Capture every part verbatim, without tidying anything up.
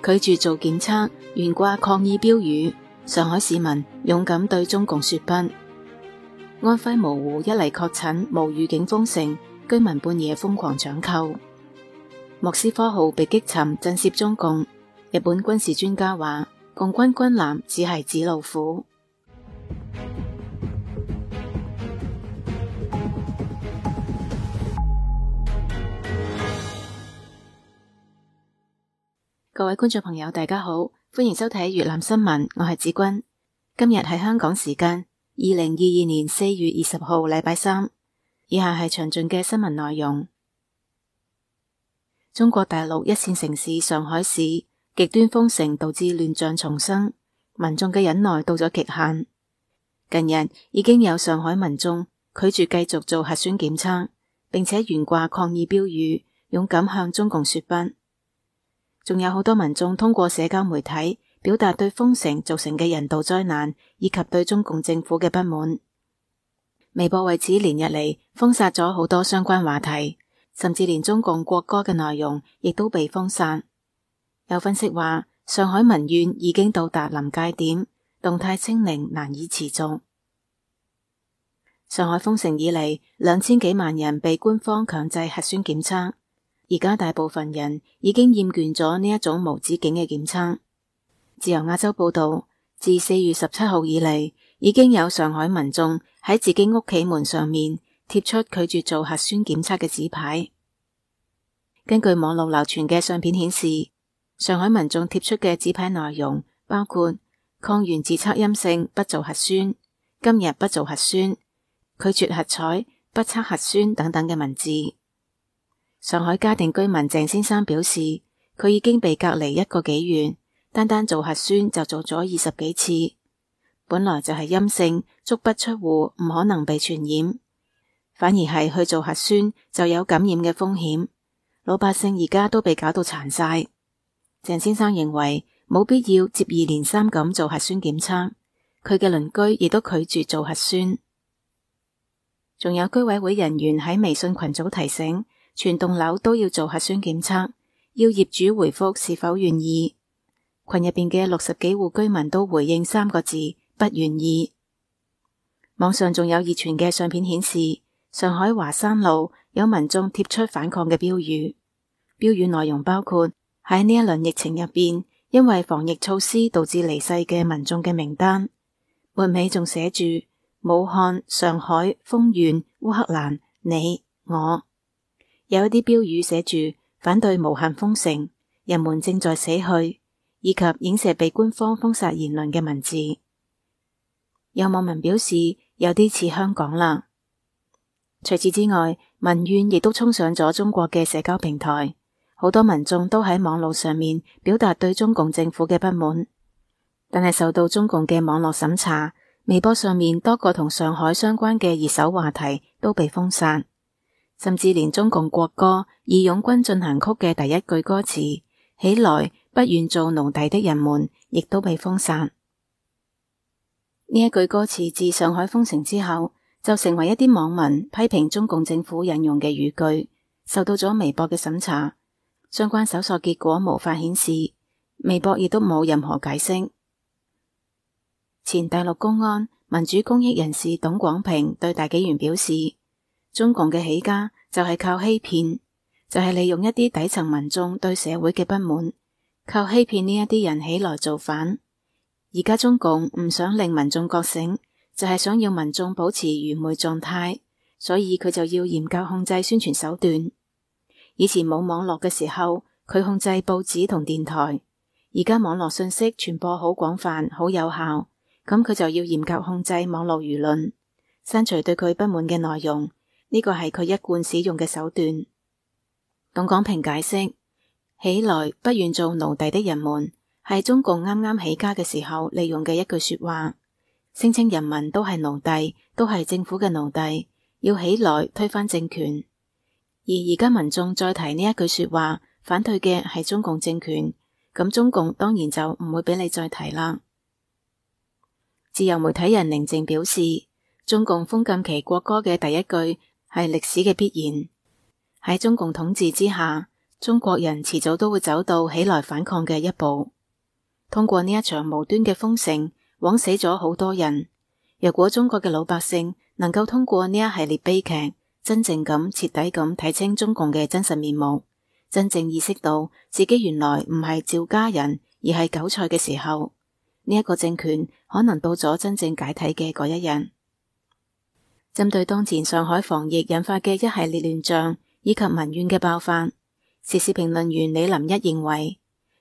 拒絕做檢測，懸掛抗議標語，上海市民勇敢對中共說不。安徽蕪湖一例確診無預警封城，居民半夜瘋狂搶購。莫斯科號被擊沉震懾中共，日本軍事專家話共軍軍艦只係紙老虎。各位觀眾朋友大家好，歡迎收睇粵覽新聞，我係子君。今日係香港時間二零二二年四月二十號禮拜三，以下係詳盡嘅新聞內容。中國大陸一線城市上海市極端封城導致亂象叢生，民眾嘅忍耐到咗極限。近日已經有上海民眾拒絕繼續做核酸檢測，並且懸掛抗議標語，勇敢向中共說不。仲有好多民眾通過社交媒體表達對封城造成嘅人道災難以及對中共政府嘅不滿。微博為此連日嚟封殺咗好多相關話題，甚至連中共國歌嘅內容亦都被封殺。有分析話，上海民怨已經到達臨界點，動態清零難以持續。上海封城以嚟，兩千幾萬人被官方強制核酸檢測。而家大部分人已經厭倦咗呢一種無止境嘅檢測。自由亞洲報道，自四月十七號以嚟，已經有上海民眾喺自己屋企門上面貼出拒絕做核酸檢測嘅紙牌。根據網絡流傳嘅相片顯示，上海民眾貼出嘅紙牌內容包括抗原自測陰性不做核酸、今日不做核酸、拒絕核採不測核酸等等嘅文字。上海嘉定居民鄭先生表示，佢已經被隔離一個幾月，單單做核酸就做咗二十幾次，本來就係陰性，足不出戶，唔可能被傳染，反而係去做核酸就有感染嘅風險。老百姓而家都被搞到殘晒。鄭先生認為冇必要接二連三咁做核酸檢測，佢嘅鄰居亦都拒絕做核酸。仲有居委會人員喺微信群組提醒，全棟樓都要做核酸檢測，要業主回覆是否願意。群入邊嘅六十幾戶居民都回應三個字：不願意。網上仲有熱傳嘅相片顯示，上海華山路有民眾貼出反抗嘅標語，標語內容包括喺呢一輪疫情入邊，因為防疫措施導致離世嘅民眾嘅名單，末尾仲寫住武漢、上海、豐縣、烏克蘭、你、我。有一啲標語寫住反對無限封城，人們正在死去，以及影射被官方封殺言論嘅文字。有網民表示有啲似香港啦。除此之外，民怨亦都衝上咗中國嘅社交平台，好多民眾都喺網絡上面表達對中共政府嘅不滿，但係受到中共嘅網絡審查，微博上面多個同上海相關嘅熱搜話題都被封殺。甚至連中共國歌《義勇軍進行曲》嘅第一句歌詞起來不願做奴隸的人們亦都被封殺。呢一句歌詞自上海封城之後就成為一啲網民批評中共政府引用嘅語句，受到咗微博嘅審查，相關搜索結果無法顯示，微博亦都冇任何解釋。前大陸公安民主公益人士董廣平對大紀元表示，中共嘅起家就係靠欺騙，就係利用一啲底層民眾對社會嘅不滿，靠欺騙呢一啲人起來造反。而家中共唔想令民眾覺醒，就係想要民眾保持愚昧狀態，所以佢就要嚴格控制宣傳手段。以前冇網絡嘅時候，佢控制報紙同電台，而家網絡信息傳播好廣泛、好有效，咁佢就要嚴格控制網絡輿論，刪除對佢不滿嘅內容。呢個係佢一貫使用嘅手段。董廣平解釋，起來不願做奴隸的人們係中共啱啱起家嘅時候利用嘅一句說話，聲稱人民都係奴隸，都係政府嘅奴隸，要起來推翻政權。而而家民眾再提呢一句說話，反對嘅係中共政權，咁中共當然就唔會俾你再提啦。自由媒體人寧靜表示，中共封禁其國歌嘅第一句係歷史嘅必然。喺中共統治之下，中國人遲早都會走到起來反抗嘅一步。通過呢一場無端嘅封城，枉死咗好多人。若果中國嘅老百姓能夠通過呢一系列悲劇，真正咁徹底咁睇清中共嘅真實面目，真正意識到自己原來唔係趙家人而係韭菜嘅時候，呢一個政權可能到咗真正解體嘅嗰一日。針對當前上海防疫引發嘅一系列亂象以及民怨嘅爆發，時事評論員李林一認為，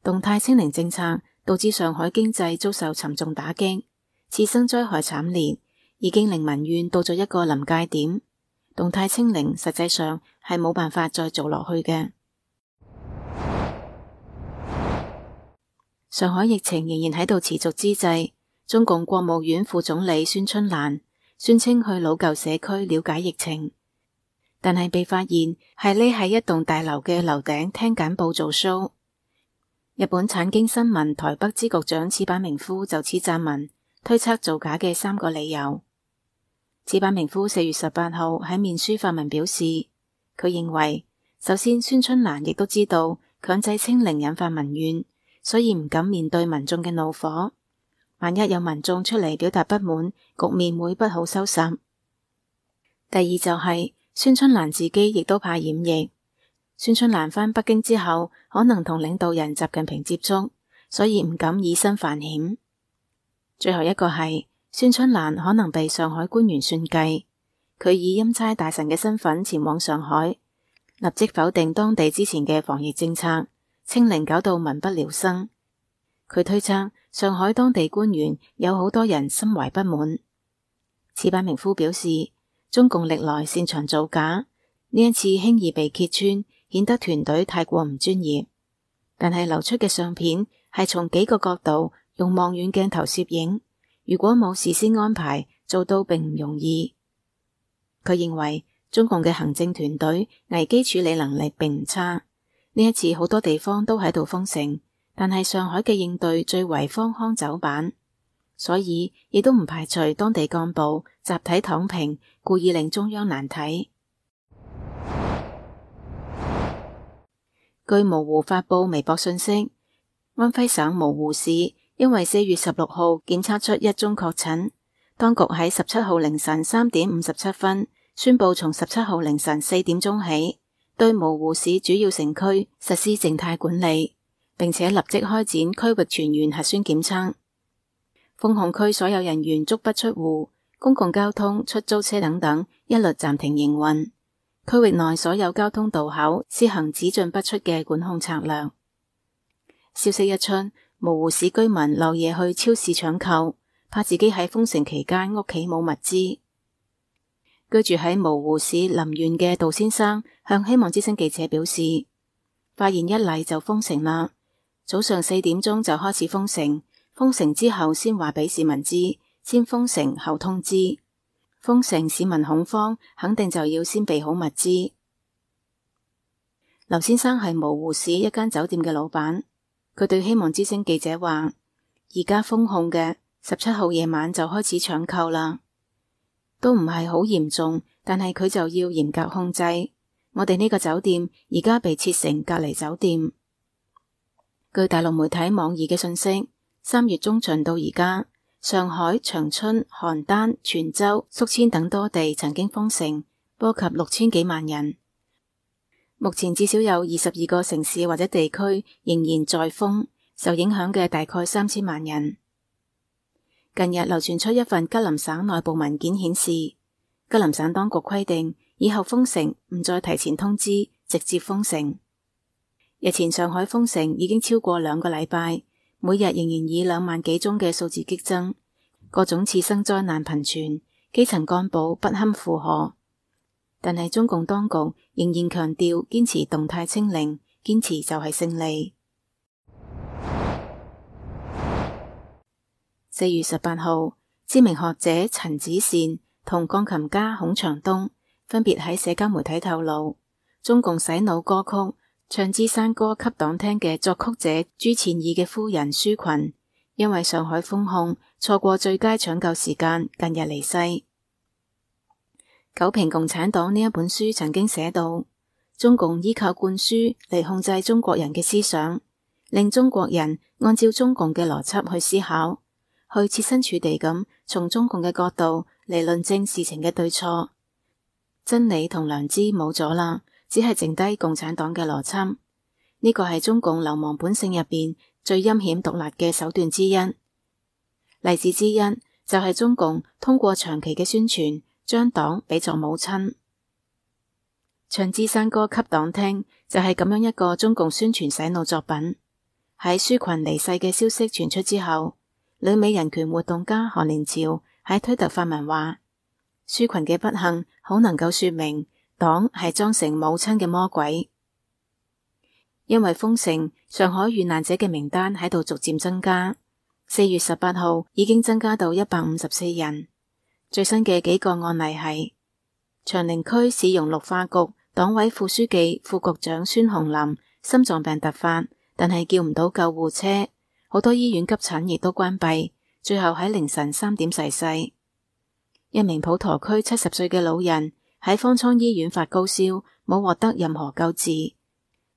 動態清零政策導致上海經濟遭受沉重打擊，次生災害慘烈，已經令民怨到咗一個臨界點。動態清零實際上係冇辦法再做落去嘅。上海疫情仍然喺度持續之際，中共國務院副總理孫春蘭宣稱去老舊社區了解疫情，但係被發現係匿喺一棟大樓嘅樓頂聽簡報做 show。日本產經新聞台北支局長矢板明夫就此撰文推測造假嘅三個理由。矢板明夫四月十八號喺面書發文表示，佢認為首先孫春蘭亦都知道強制清零引發民怨，所以唔敢面對民眾嘅怒火。萬一有民眾出嚟表達不滿，局面會不好收拾。第二就係、是、孫春蘭自己亦都怕染疫。孫春蘭返北京之後，可能同領導人習近平接觸，所以唔敢以身犯險。最後一個係孫春蘭可能被上海官員算計，佢以欽差大臣嘅身份前往上海，立即否定當地之前嘅防疫政策，清零搞到民不聊生。佢推測上海當地官員有好多人心懷不滿。矢板明夫表示，中共歷來擅長造假，呢一次輕易被揭穿，顯得團隊太過唔專業。但係流出嘅相片係從幾個角度用望遠鏡頭攝影，如果冇事先安排，做到並唔容易。佢認為中共嘅行政團隊危機處理能力並唔差。呢一次好多地方都喺度封城，但係上海嘅應對最為荒腔走板，所以亦都唔排除當地幹部集體躺平，故意令中央難睇。據模糊發佈微博信息，安徽省模糊市因為四月十六號檢測出一宗確診，當局喺十七號凌晨三點五十七分宣布，從十七號凌晨四點鐘起，對模糊市主要城區實施靜態管理，並且立即開展區域全員核酸檢測。封控區所有人員足不出戶，公共交通、出租車等等一律暫停營運。區域內所有交通道口施行只進不出嘅管控策略。消息一出，模糊市居民漏夜去超市搶購，怕自己喺封城期間屋企冇物資。居住喺模糊市臨縣嘅杜先生向希望之聲記者表示，發現一例就封城啦，早上四點鐘就開始封城，封城之後先話俾市民知，先封城後通知。封城市民恐慌，肯定就要先備好物資。劉先生係模糊市一間酒店嘅老闆，佢對希望之聲記者話，而家封控嘅十七號夜晚就開始搶購啦，都唔係好嚴重，但係佢就要嚴格控制。我哋呢個酒店而家被設成隔離酒店。據大陸媒體網易嘅信息，三月中旬到而家，上海、長春、邯鄲、泉州、宿遷等多地曾經封城，波及六千幾萬人。目前至少有二十二個城市或者地區仍然在封，受影響嘅大概三千萬人。近日流傳出一份吉林省內部文件顯示，吉林省當局規定以後封城唔再提前通知，直接封城。日前上海封城已經超過兩個禮拜，每日仍然以兩萬幾宗嘅數字激增，各種次生災難頻傳，基層幹部不堪負荷。但係中共當局仍然強調堅持動態清零，堅持就係勝利。四月十八號，知名學者陳子善同鋼琴家孔祥東分別喺社交媒體透露，中共洗腦歌曲《唱支山歌給黨聽》嘅作曲者朱倩義嘅夫人舒群，因為上海封控錯過最佳搶救時間，近日離世。九評共產黨呢一本書曾經寫到，中共依靠灌輸嚟控制中國人嘅思想，令中國人按照中共嘅邏輯去思考，去設身處地咁從中共嘅角度嚟論證事情嘅對錯。真理同良知冇咗啦，只係剩低共產黨嘅邏輯。呢個係中共流氓本性入邊最陰險毒辣嘅手段之一。例子之一就係中共通過長期嘅宣傳，將黨比作母親。唱支山歌給黨聽，就係咁樣一個中共宣傳洗腦作品。喺舒群離世嘅消息傳出之後，旅美人權活動家韓連朝喺推特發文話，舒群嘅不幸好能夠說明黨係裝成母親嘅魔鬼。因為封城，上海遇難者嘅名單喺度逐漸增加，四月十八號已經增加到一百五十四人。最新嘅幾個案例係長寧區市容綠化局黨委副書記、副局長孫紅林心臟病突發，但係叫唔到救護車，好多醫院急診亦都關閉，最後喺凌晨三點逝世。一名普陀區七十歲嘅老人喺方艙醫院發高燒，冇獲得任何救治。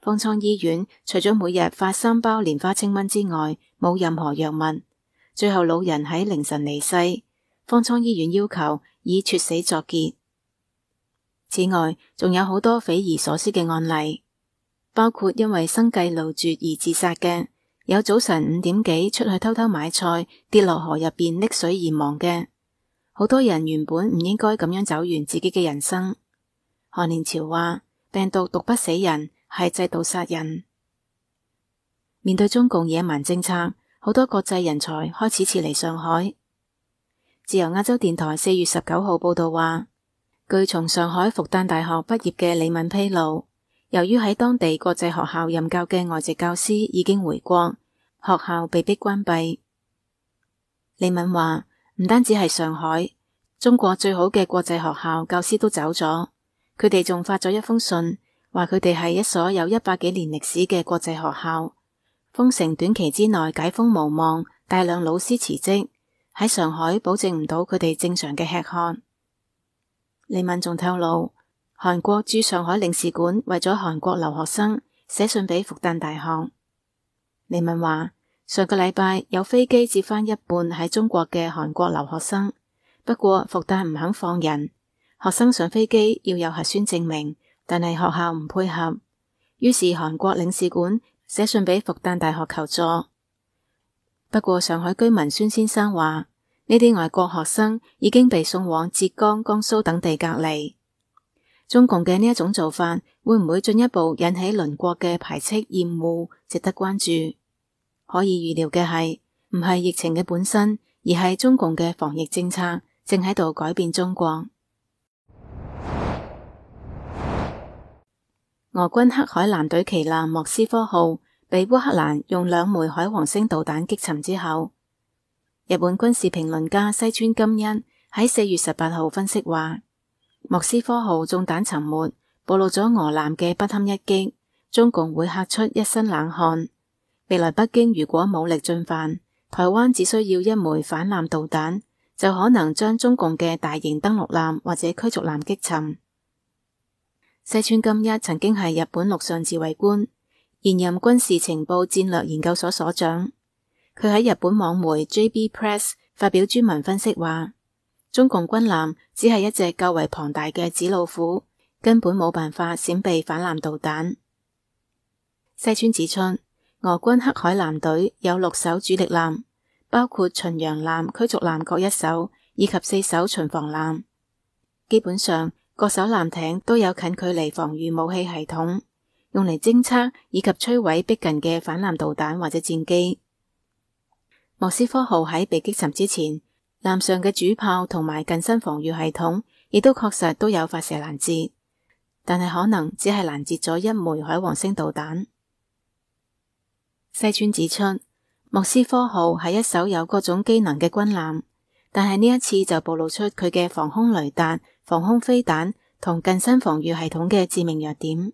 方艙醫院除咗每日發三包蓮花清瘟之外，冇任何藥物。最後老人喺凌晨離世，方艙醫院要求以猝死作結。此外，仲有好多匪夷所思嘅案例，包括因為生計路絕而自殺嘅，有早晨五點幾出去偷偷買菜，跌落河入邊溺水而亡嘅。好多人原本唔應該咁樣走完自己嘅人生。韓連朝話，病毒毒不死人，係制度殺人。面對中共野蠻政策，好多國際人才開始撤離上海。自由亞洲電台四月十九號報道話，據從上海復旦大學畢業嘅李敏披露，由於喺當地國際學校任教嘅外籍教師已經回國，學校被迫關閉。李敏話，唔單止係上海，中國最好嘅國際學校教師都走咗，佢哋仲發咗一封信，話佢哋係一所有一百幾年歷史嘅國際學校，封城短期之內解封無望，大量老師辭職，喺上海保證唔到佢哋正常嘅吃喝。李敏仲透露，韓國駐上海領事館為咗韓國留學生寫信俾復旦大學。李敏話，上個禮拜有飛機接返一半喺中國嘅韓國留學生，不過復旦唔肯放人，學生上飛機要有核酸證明，但係學校唔配合，於是韓國領事館寫信俾復旦大學求助。不過上海居民孫先生話，呢啲外國學生已經被送往浙江、江蘇等地隔離。中共嘅呢一種做法會唔會進一步引起鄰國嘅排斥厭惡，值得關注。可以預料嘅係，唔係疫情嘅本身，而係中共嘅防疫政策正喺度改變中國。俄軍黑海艦隊旗艦莫斯科號被烏克蘭用兩枚海王星導彈擊沉之後，日本軍事評論家西村金一喺四月十八號分析話，莫斯科號中彈沉沒，暴露咗俄艦嘅不堪一擊，中共會嚇出一身冷汗。未來北京如果武力進犯，台灣只需要一枚反艦導彈，就可能將中共嘅大型登陸艦或者驅逐艦擊沉。西村金一曾經係日本陸上自衛官，現任軍事情報戰略研究所所長。佢喺日本網媒 J B Press 發表專文分析話，中共軍艦只係一隻較為龐大嘅紙老虎，根本冇辦法閃避反艦導彈。西村指出，俄軍黑海艦隊有六艘主力艦，包括巡洋艦、驅逐艦各一艘，以及四艘巡防艦。基本上，各艘艦艇都有近距離防禦武器系統，用嚟偵測以及摧毀逼近嘅反艦導彈或者戰機。莫斯科號喺被擊沉之前，艦上嘅主炮同埋近身防禦系統亦都確實都有發射攔截，但係可能只係攔截咗一枚海王星導彈。西村指出，莫斯科號係一艘有各種機能嘅軍艦，但係呢一次就暴露出佢嘅防空雷達、防空飛彈同近身防禦系統嘅致命弱點。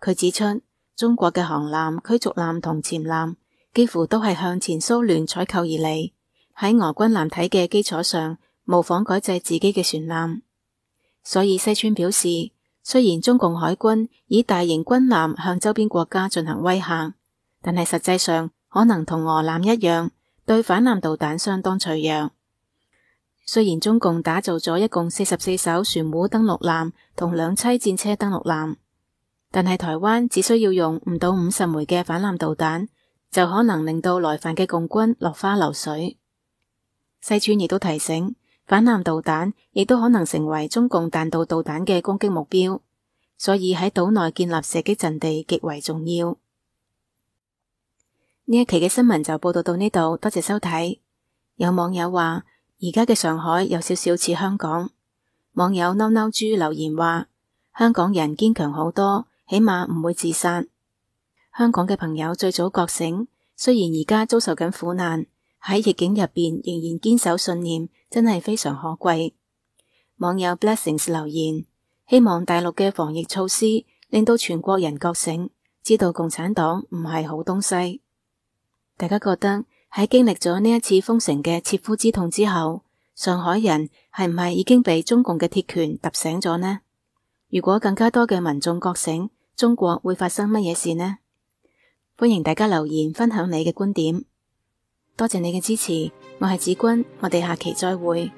佢指出，中國嘅航艦、驅逐艦同潛艦幾乎都係向前蘇聯採購而嚟，喺俄軍艦體嘅基礎上模仿改制自己嘅船艦。所以西村表示，雖然中共海軍以大型軍艦向周邊國家進行威嚇，但係實際上可能同俄艦一樣，對反艦導彈相當脆弱。雖然中共打造咗一共四十四艘船塢登陸艦同兩棲戰車登陸艦，但係台灣只需要用唔到五十枚嘅反艦導彈，就可能令到來犯嘅共軍落花流水。西川亦都提醒，反艦導彈亦都可能成為中共彈道導彈嘅攻擊目標，所以喺島內建立射擊陣地極為重要。呢一期嘅新聞就報道到呢度，多謝收睇。有網友話，而家嘅上海有少少似香港。網友嬲嬲豬留言話，香港人堅強好多，起碼唔會自殺。香港嘅朋友最早覺醒，雖然而家遭受緊苦難，喺逆境入邊仍然堅守信念，真係非常可貴。網友 Blessings 留言，希望大陸嘅防疫措施令到全國人覺醒，知道共產黨唔係好東西。大家覺得喺經歷咗呢一次封城嘅切膚之痛之後，上海人係唔係已經被中共嘅鐵拳揼醒咗呢？如果更加多嘅民眾覺醒，中國會發生乜嘢事呢？歡迎大家留言分享你嘅觀點。多謝你嘅支持，我係子君，我哋下期再會。